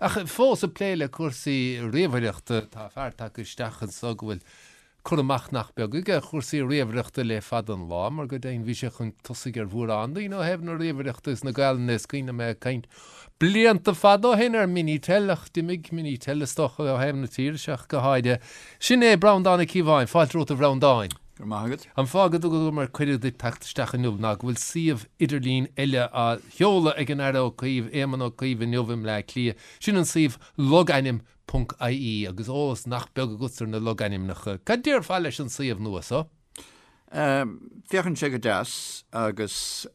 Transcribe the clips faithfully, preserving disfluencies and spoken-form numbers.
Ach fós ag plé le cúrsaí ríomhaireachta tá fear tagtha isteach anseo go bhfuil cur amach nach beag aige ar chúrsaí ríomhaireachta le fada an lá, mar go deimhin bhí sé chun tosaigh ar mhórán daoine ó thaobh na ríomhaireachta is na Gaelainne is cuimhin liom é ag caint blianta fada ó shin ar Minitel ach d'imigh Minitel is dócha ó thaobh na tíre seo ach go háirithe. Sin é Breandán Ó Cíobháin, fáilte romhat a Bhreandáin. Go raibh maith agat. An fáth go dtugamar cuireadh duit teacht isteach inniu ná go bhfuil suíomh idirlín eile á sheoladh ag an Aire Ó Cuív, Éamon Ó Cuív inniu i mBleá Cliath. Sin an suíomh logainm ponc ie agus eolas nach beag agat ar na logainmneacha. Cad déarfá leis an suíomh nua so? Féachann sé go deas agus.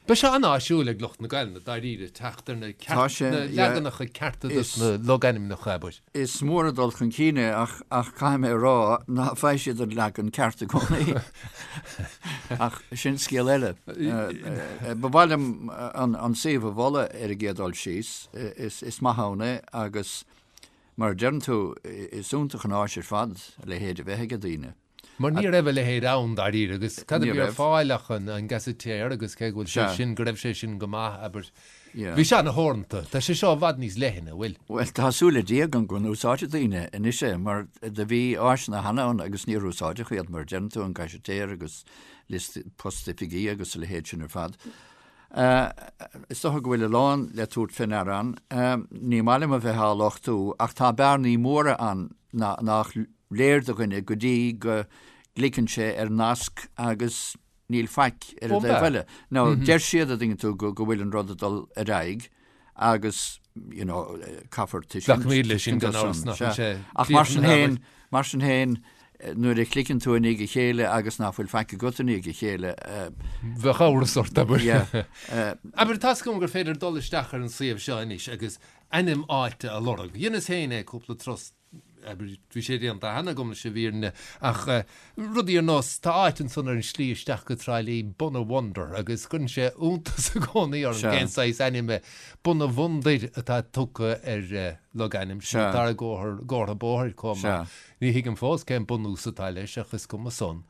Beidh sé an-áisiúil ag lucht na Gaelainne dáiríre teacht ar na Tá sé, na yeah. leaganacha cearta dos Is na logainmneacha, abair. Is mór an dul chun cinn é ach ach caithfidh mé a rá ná faigheann siad an leagan ceart i gcónaí. Ach sin scéal eile. Ba mhaith liom an an suíomh a mholadh ar an gcéad dul síos. Is is maith ann é agus mar a deireann tú is iontach an áis ar fad a leithéid a bheith ag daoine. Mar ní raibh a leithéid ann dáiríre agus cad a Ní bhí ar raibh. fáil ach an an Gazetteer agus cé go bhfuil sé Sea. sin go raibh sé sin go maith abair. Yeah. Bhí sé ana-theoranta. Tá sé seo i bhfad níos leithne, an bhfuil? Bhuel tá súil le Dia agam go n-úsáidfidh daoine anois é mar do bhí áiseanna cheana ann agus níor úsáideadh iad mar a deireann tú an Gazetteer agus liosta post-oifigí agus a leithéid sin ar fad. Is dócha go bhfuil a lán le tabhairt fé ndeara ann. Ní maith liom a bheith á lochtú ach tá bearnaí móra ann nach léir do dhuine go dtí go gcliceann sé ar nasc agus níl faic ar an dtaobh eile. Now deir siad a dtuigeann tú go bhfuil an rud ag dul ar aghaidh agus you know caithfear tuiscint Glacaimid leis sin gan amhras nach bhfuil sé Ach mar sin féin, mar sin féin, nuair a chliceann tú i ndiaidh a chéile agus nach bhfuil faic agat i ndiaidh a chéile. Bheadh amhras ort, abair. Abair, tá's agam gur féidir dul isteach ar an suíomh seo anois agus ainm áite a lorg. Dheineas féin é cúpla turas, abair, bhí sé déanta cheana agam leis an bhfírinne, ach rudaí ar nós, tá áit ansan ar an slí isteach go Trá Lí, Bunawonder, agus cuireann sé iontas i gcónaí orm cén saghas ainm é Bunabhandair atá tugtha ar logainm, sin an dara gcomhartha bóthair chomh maith. Ní thuigim fós cén bunús atá leis ach is cuma san.